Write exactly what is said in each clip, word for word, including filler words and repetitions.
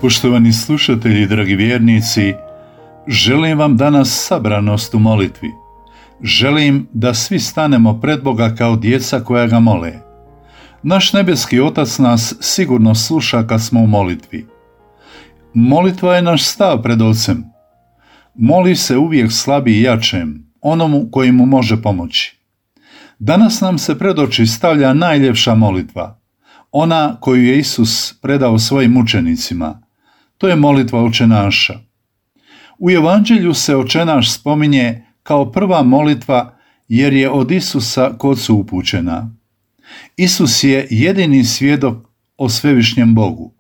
Poštovani slušatelji, dragi vjernici, želim vam danas sabranost u molitvi. Želim da svi stanemo pred Boga kao djeca koja ga mole. Naš nebeski Otac nas sigurno sluša kad smo u molitvi. Molitva je naš stav pred Ocem. Moli se uvijek slabi i jačem, onomu koji mu može pomoći. Danas nam se pred oči stavlja najljepša molitva, ona koju je Isus predao svojim učenicima. To je molitva Oče naša. U Evanđelju se Oče naš spominje kao prva molitva jer je od Isusa k Ocu upućena. Isus je jedini svjedok o svevišnjem Bogu.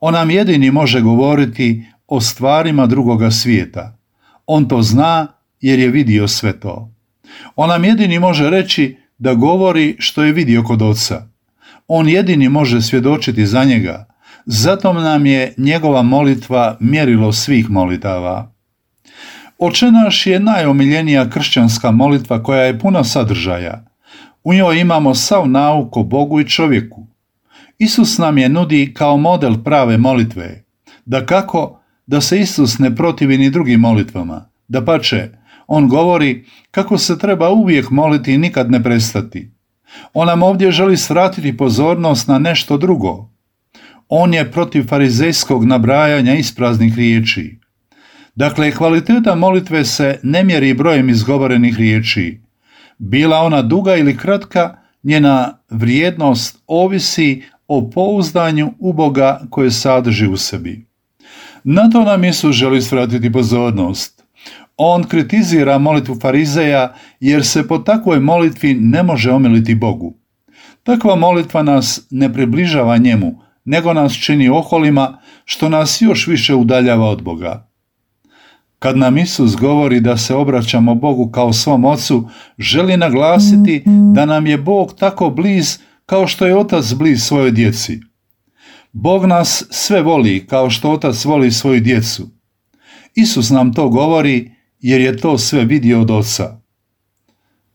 On nam jedini može govoriti o stvarima drugoga svijeta. On to zna jer je vidio sve to. On nam jedini može reći da govori što je vidio kod Oca. On jedini može svjedočiti za njega. Zato nam je njegova molitva mjerilo svih molitava. Oče naš je najomiljenija kršćanska molitva koja je puna sadržaja. U njoj imamo sav nauk o Bogu i čovjeku. Isus nam je nudi kao model prave molitve. Dakako da se Isus ne protivi ni drugim molitvama. Dapače, on govori kako se treba uvijek moliti i nikad ne prestati. On nam ovdje želi svratiti pozornost na nešto drugo. On je protiv farizejskog nabrajanja ispraznih riječi. Dakle, kvaliteta molitve se ne mjeri brojem izgovorenih riječi. Bila ona duga ili kratka, njena vrijednost ovisi o pouzdanju u Boga koje sadrži u sebi. Na to nam Isus želi svratiti pozornost. On kritizira molitvu farizeja jer se po takvoj molitvi ne može omiliti Bogu. Takva molitva nas ne približava njemu, nego nas čini oholima, što nas još više udaljava od Boga. Kad nam Isus govori da se obraćamo Bogu kao svom Ocu, želi naglasiti da nam je Bog tako bliz kao što je Otac bliz svojoj djeci. Bog nas sve voli kao što Otac voli svoju djecu. Isus nam to govori jer je to sve vidio od Oca.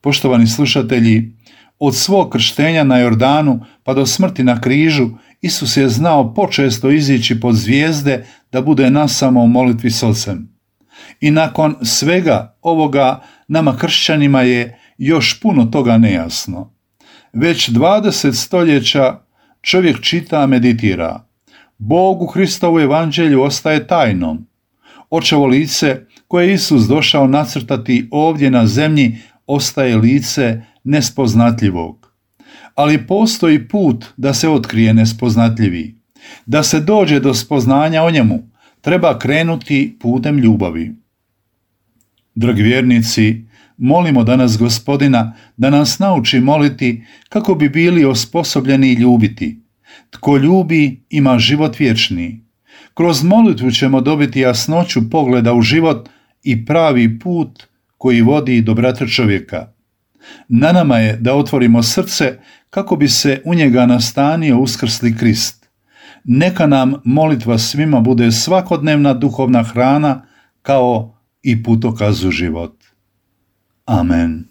Poštovani slušatelji, od svog krštenja na Jordanu pa do smrti na križu, Isus je znao počesto izići pod zvijezde da bude nasamo u molitvi s Ocem. I nakon svega ovoga nama kršćanima je još puno toga nejasno. Već dvadeset stoljeća čovjek čita, meditira. Bog u Hristovu evanđelju ostaje tajnom. Očevo lice koje je Isus došao nacrtati ovdje na zemlji ostaje lice nespoznatljivog. Ali postoji put da se otkrije nespoznatljivi. Da se dođe do spoznanja o njemu, treba krenuti putem ljubavi. Dragi vjernici, molimo danas Gospodina da nas nauči moliti kako bi bili osposobljeni ljubiti. Tko ljubi ima život vječni. Kroz molitvu ćemo dobiti jasnoću pogleda u život i pravi put koji vodi do brata čovjeka. Na nama je da otvorimo srce kako bi se u njega nastanio uskrsli Krist. Neka nam molitva svima bude svakodnevna duhovna hrana kao i putokaz u život. Amen.